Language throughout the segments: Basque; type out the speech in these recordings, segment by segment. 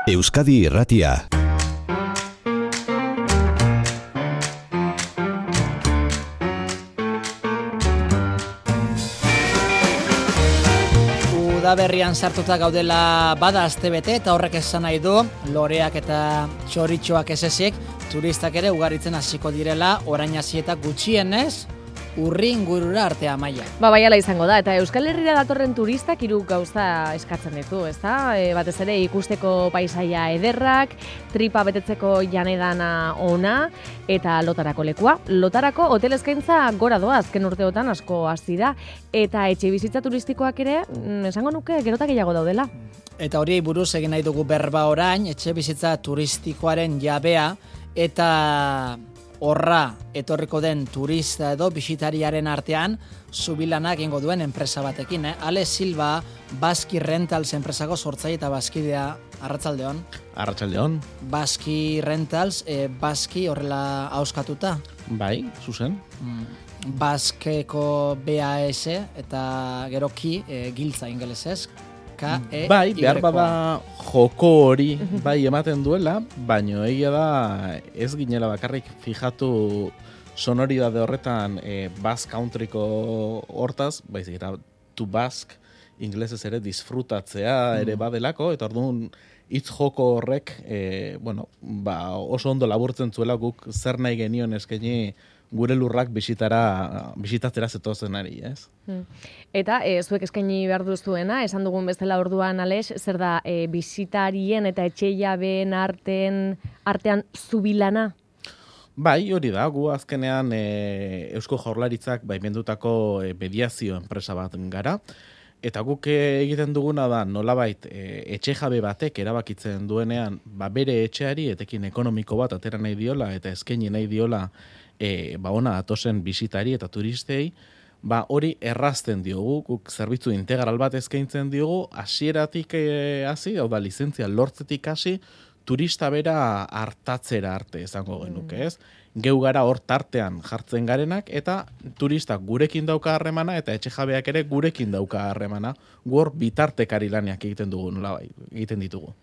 Euskadi Irratia. Udaberrian sartuta gaudela bada astebete eta horrek esan nahi du loreak eta txoritxoak ez ezik turistak ere ugaritzen hasiko direla orain hasi eta gutxienez urri ingurura arte Amaia. Bai hala izango da, eta Euskal Herrira datorren turistak hiru gauza eskatzen ditu, ezta? Batez ere ikusteko paisaia ederrak, tripa betetzeko janedana ona eta lotarako lekua. Lotarako hotel eskaintza gora doa azken urteotan asko hasi da eta etxebizitza turistikoak ere esango nuke gerota gehiago daudela. Eta hori buruz egin nahi dugu berba orain, etxebizitza turistikoaren jabea eta horra etorriko den turista edo bisitariaren artean zubilanak egingo duen enpresa batekin. Ale Silva, Baski Rentals enpresako sortzaile eta bazkidea. Arratsaldeon. Arratsaldeon. Baski Rentals, Baski horrela ahoskatuta? Bai, zuzen. Baskeko BAS eta gero ki giltza ingelesez. Bai, behar bada joko hori bai ematen duela, baino egia da ez ginela bakarrik fijatu sonoridade horretan Basque Countryko hortaz, baizik eta to Basque ingelesez ere disfrutatzea ere badelako, eta orduan hitz joko horrek oso ondo laburtzen zuela guk zer nahi genion eskaini gure lurrak bisitatzera zetozenari, ez? Eta zuek eskaini behar duzuena, esan dugun bezala orduan Alex, zer da bisitarien eta etxejabeen artean zubilana? Bai, hori da, gu azkenean Eusko Jaurlaritzak baimendutako mediazio enpresa bat gara, eta guk egiten duguna da nolabait etxejabe batek erabakitzen duenean bere etxeari etekin ekonomiko bat atera nahi diola eta eskaini nahi diola ona atosen bisitari eta turistei, hori errazten diogu, guk zerbitzu integral bat eskaintzen diogu, hasieratik hasi, hau da lizentzia lortzetik hasi, turista bera hartatzera arte izango genuke, ez? Geu gara hor tartean jartzen garenak eta turistak gurekin dauka harremana eta etxejabeak ere gurekin dauka harremana. Gu hor bitartekari lanak egiten dugu, nolabait, egiten ditugu.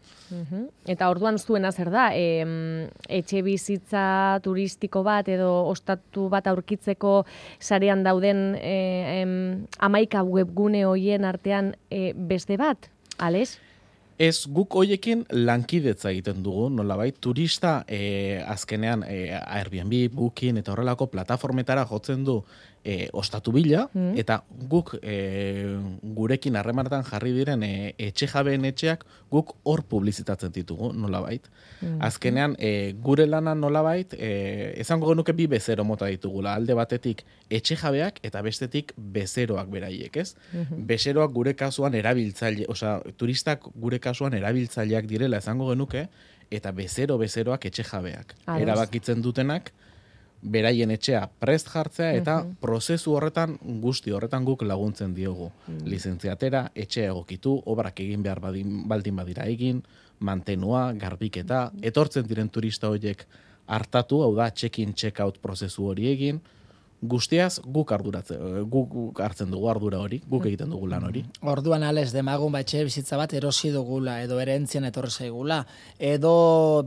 Eta orduan zuena zer da, etxe bizitza turistiko bat edo ostatu bat aurkitzeko sarean dauden 11 webgune hoien artean beste bat, Alex? Ez, guk hoiekin lankidetza egiten dugu, nolabait, turista azkenean Airbnb, Booking eta horrelako plataformetara jotzen du ostatu bila, eta guk gurekin harremanetan jarri diren etxejabeen etxeak guk hor publizitatzen ditugu, nolabait. Azkenean, gure lana nolabait, esango genuke bi bezero mota ditugula, alde batetik etxejabeak eta bestetik bezeroak beraiek, ez? Bezeroak gure kasuan erabiltzaile, turistak gure kasuan erabiltzaileak direla esango genuke, eta bezeroak etxejabeak. Erabakitzen dutenak, beraien etxea prest jartzea eta prozesu horretan, guzti horretan guk laguntzen diogu. Lizentziatera, etxea egokitu, obrak egin behar baldin badira egin, mantenua, garbiketa, etortzen diren turista horiek hartatu, hau da, check-in, check-out prozesu hori egin, guztiaz guk hartzen dugu ardura hori, guk egiten dugu lan hori. Orduan Alex, demagun etxe bizitza bat erosi dugula, edo erentzien etorri zaigula, edo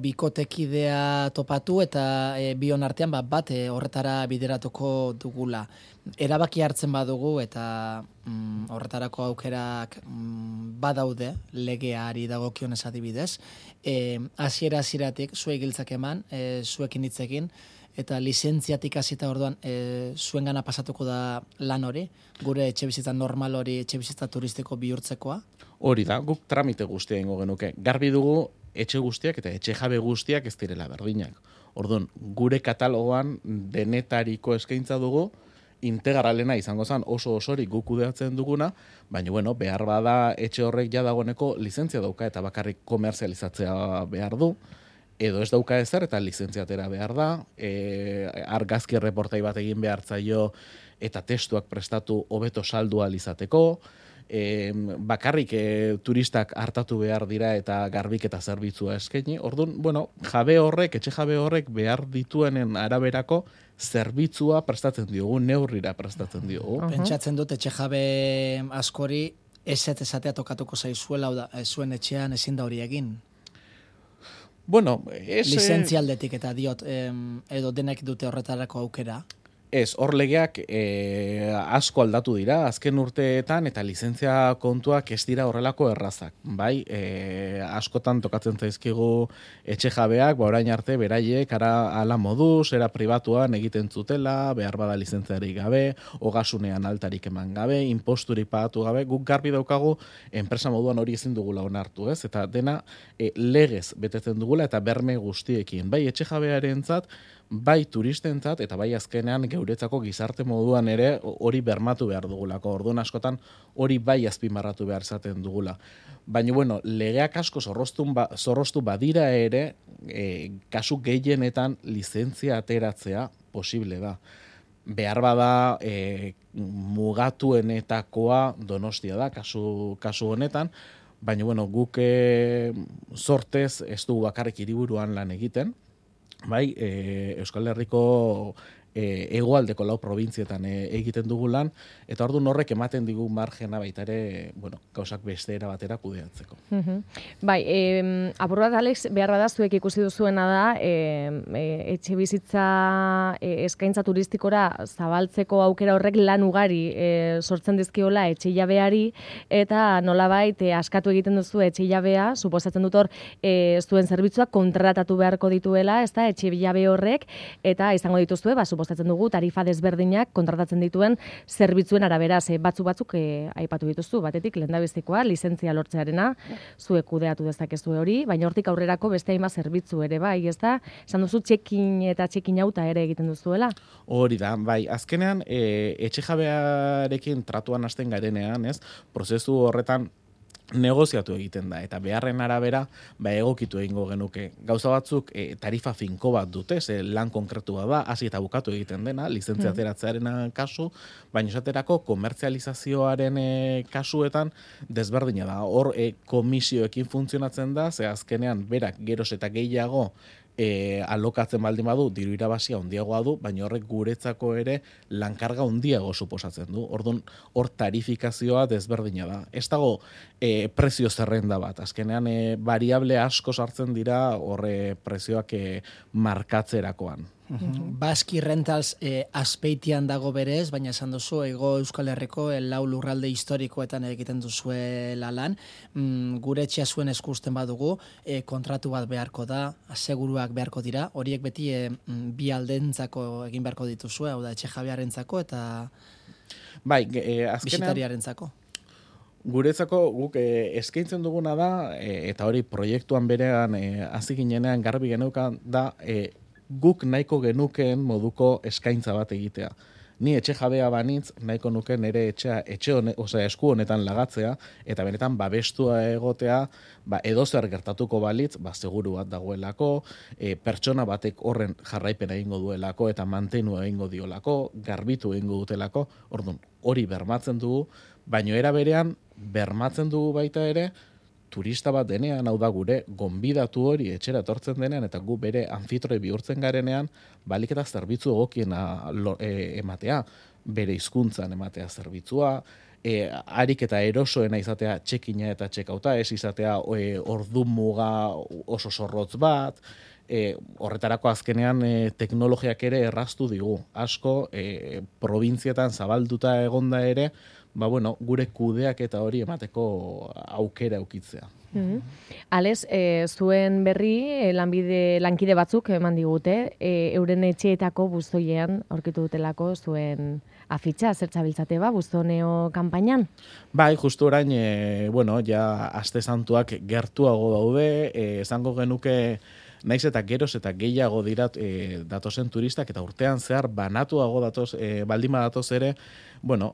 bikotekidea topatu eta bion artean bat horretara bideratuko dugula. Erabaki hartzen badugu eta horretarako aukerak badaude, legeari dagokionez adibidez, hasieratik zuek giltzak eman, zuekin hitzekin, eta lizentziatik hasita orduan zuengana pasatuko da lan hori, gure etxebizitza normal hori etxebizitza turistiko bihurtzekoa? Hori da, guk tramite guztia ingo genuke. Garbi dugu etxe guztiak eta etxe jabe guztiak ez direla berdinak. Orduan, gure katalogoan denetariko eskaintza dugu, integralena izango zen oso osorik guk kudeatzen duguna, baina behar bada etxe horrek ja dagoeneko lizentzia dauka eta bakarrik komerzializatzea behar du, edo ez dauka ezer eta lizentziatera behar da, argazki erreportai bat egin behar zaio eta testuak prestatu hobeto saldua izateko, bakarrik turistak hartatu behar dira eta garbik eta zerbitzua eskaini. Orduan, etxe jabe horrek behar dituenen araberako zerbitzua prestatzen diogu, neurrira prestatzen diogu. Pentsatzen dut etxe jabe askori esatea tokatuko zaizuela, zuen etxean ezin da hori egin. Bueno, lizentzialdetik eta diot, edo denek dute horretarako aukera? Ez, hor legeak asko aldatu dira, azken urteetan, eta lizentzia kontuak ez dira horrelako errazak. Bai, askotan tokatzen zaizkigu etxe jabeak, orain arte, beraiek, ala moduz, era pribatuan egiten zutela, behar bada lizentziarik gabe, ogasunean altarik eman gabe, imposturik pagatu gabe, guk garbi daukagu, enpresa moduan hori ezin dugula onartu, ez? Eta dena legez betetzen dugula, eta berme guztiekin. Bai, etxe jabearentzat, bai turistentzat eta bai azkenean geuretzako gizarte moduan ere hori bermatu behar dugulako. Orduan askotan hori bai azpimarratu behar izaten dugula. Baina, bueno, legeak asko zorroztu badira ere, kasu gehienetan lizentzia ateratzea posible da. Behar bada mugatuenetakoa Donostia da, kasu honetan, baina, bueno, guk sortez ez dugu bakarrik hiriburuan lan egiten, bai, Euskal Herriko hegoaldeko 4 probintzietan egiten dugu lan, eta orduan horrek ematen digu margena baita ere, bueno, gauzak beste era batera kudeatzeko. Bai, apur bat, Alex, behar bada zuek ikusi duzuena da, etxe bizitza eskaintza turistikora zabaltzeko aukera horrek lan ugari sortzen dizkiola etxe jabeari, eta nolabait askatu egiten duzu etxe jabea, suposatzen dut hor, zuen zerbitzuak kontratatu beharko dituela, ez da, etxe jabe horrek, eta izango dituzue, suposatzen dugu, tarifa desberdinak kontratatzen dituen zerbitzuen arabera, batzuk aipatu dituzu, batetik lehendabizikoa, lizentzia lortzearena, zuek kudeatu dezakezue hori, baina hortik aurrerako beste hainbat zerbitzu ere, bai, ez da? Esan duzu txekin eta txekin auta ere egiten duzuela? Hori da, bai, azkenean, etxe jabearekin tratuan hasten garenean, ez? Prozesu horretan negoziatu egiten da, eta beharren arabera egokitu egingo genuke. Gauza batzuk tarifa finko bat dute, lan konkretua da, hasi eta bukatu egiten dena, lizentzia ateratzearen kasu, baina esaterako komertzializazioaren kasuetan desberdina da. Hor komisioekin funtzionatzen da, ze azkenean berak geroz eta gehiago alokatzen baldin badu, diru irabazia handiagoa du, baina horrek guretzako ere lankarga handiago suposatzen du. Orduan, hor tarifikazioa desberdina da. Ez dago prezio zerrenda bat. Azkenean, variable asko sartzen dira horre prezioak markatzerakoan. Baski Rentals Azpeitian dago berez, baina esan duzu, Hego Euskal Herriko 4 lurralde historikoetan egiten duzuela lan. Gure etxea zuen eskusten badugu, kontratu bat beharko da, aseguruak beharko dira, horiek beti bi aldentzako egin beharko dituzue, hau da, etxe jabearentzako eta bisitariarentzako. Guretzako guk eskaintzen duguna da, eta hori proiektuan berean hasi ginenean garbi geneukan da, guk nahiko genukeen moduko eskaintza bat egitea. Ni etxe jabea banitz, nahiko nuke nire esku honetan lagatzea, eta benetan babestua egotea, edozer gertatuko balitz, seguru bat dagoelako, pertsona batek horren jarraipena egingo duelako, eta mantenu egingo diolako, garbitu egingo dutelako, orduan, hori bermatzen dugu, baino era berean, bermatzen dugu baita ere, turista bat denean, hau da gure, gonbidatu hori etxera etortzen denean, eta gu bere anfitroi bihurtzen garenean, balik eta zerbitzu egokiena ematea, bere hizkuntzan ematea zerbitzua, harik eta erosoena izatea txekina eta txekauta, ez izatea ordu muga oso zorrotz bat, horretarako azkenean teknologiak ere erraztu digu. Asko, probintzietan zabalduta egonda ere, gure kudeak eta hori emateko aukera eukitzea. Alex, zuen berri lankide batzuk eman digute, euren etxeetako bustoiean aurkitu dutelako zuen afitxa, zertzabiltzate buztoneo kanpainan? Bai, justu orain, ja aste santuak gertuago daude, esango genuke naiz eta geroz eta gehiago dira datozen turistak, eta urtean zehar banatuago datoz, baldima datoz ere,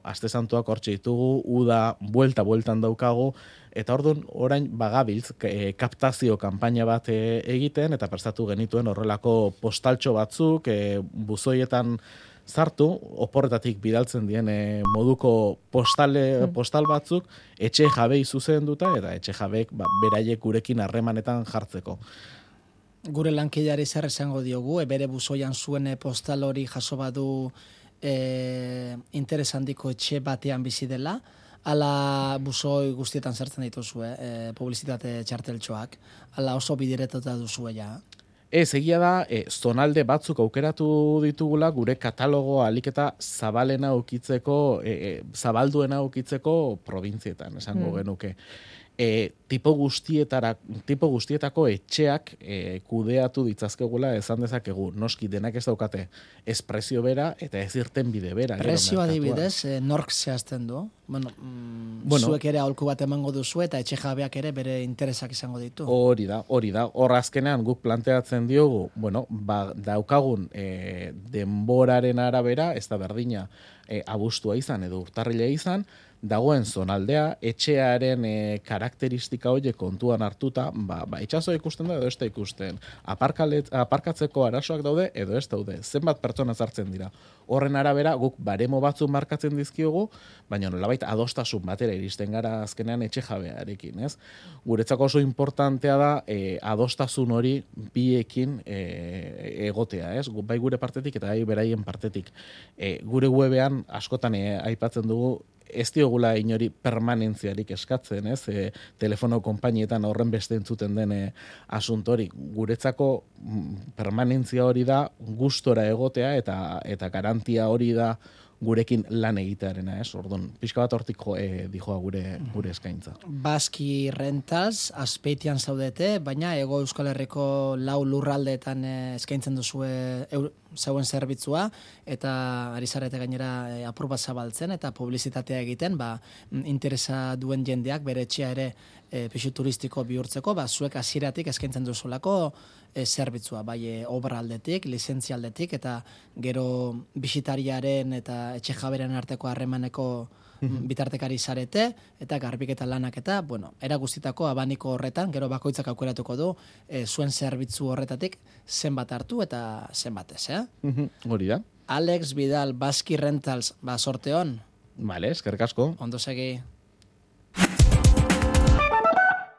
aste santuak hortxe ditugu, uda bueltan daukagu, eta orduan orain bagabiltz kaptazio kanpaina bat egiten, eta prestatu genituen horrelako postaltxo batzuk, buzoietan sartu, oporretatik bidaltzen dien moduko postal batzuk, etxe jabei zuzenduta, eta etxe jabeek beraiek gurekin harremanetan jartzeko. Gure lankideari zer esango diogu, bere buzoian zuen postal hori jaso badu interes handiko etxe batean bizi dela, ala busoi guztietan sartzen dituzu, publizitate txarteltxoak, ala oso bidiretota duzu ja. Ez, egia da, zonalde batzuk aukeratu ditugula gure katalogoa alik eta zabalena ukitzeko, zabalduena ukitzeko provintzietan, esango genuke. Tipo guztietako etxeak kudeatu ditzazkegula esan dezakegu. Noski denak ez daukate espresio bera eta ez irten bide bera. Prezio adibidez, nork zehazten du? Bueno, zuek ere aholku bat emango duzu eta etxe jabeak ere bere interesak izango ditu. Hori da. Hor azkenean guk planteatzen diogu, daukagun denboraren arabera, ez da berdina abuztua izan edo urtarrila izan, dagoen zonaldea, etxearen karakteristika horiek kontuan hartuta, itxasoa ikusten da edo ez da ikusten. Aparkatzeko arazoak daude edo ez daude. Zenbat pertsona sartzen dira. Horren arabera guk baremo batzuk markatzen dizkiogu, baina nolabait adostasun batera iristen gara azkenean etxe jabearekin, ez? Guretzako oso importantea da adostasun hori biekin egotea, ez? Bai gure partetik eta bai beraien partetik. Gure webean askotan aipatzen dugu ez diogula inori permanentziarik eskatzen, ez? Telefono konpainietan horren beste entzuten den asuntori. Guretzako permanentzia hori da gustora egotea eta garantia hori da gurekin lan egitearena, ez? Orduan, pixka bat hortik dijoa gure eskaintza. Baski Rentals, Azpeitian zaudete, baina Hego Euskal Herriko 4 lurraldeetan eskaintzen duzu zeuen zerbitzua, eta ari zarete gainera apur bat zabaltzen, eta publizitatea egiten, interesa duen jendeak bere etxea ere pixu turistiko bihurtzeko, zuek hasieratik eskaintzen duzulako zerbitzua, bai obra aldetik, lizentzia aldetik, eta gero bisitariaren eta etxe jaberen arteko harremaneko bitartekari zarete, eta garbiketa lanak eta, era guztitako abaniko horretan, gero bakoitzak aukeratuko du, zuen zerbitzu horretatik zenbat hartu eta zenbat ez, Hori da. Alex Vidal, Baski Rentals, sorte hon. Vale, eskerrik asko. Ondo segi.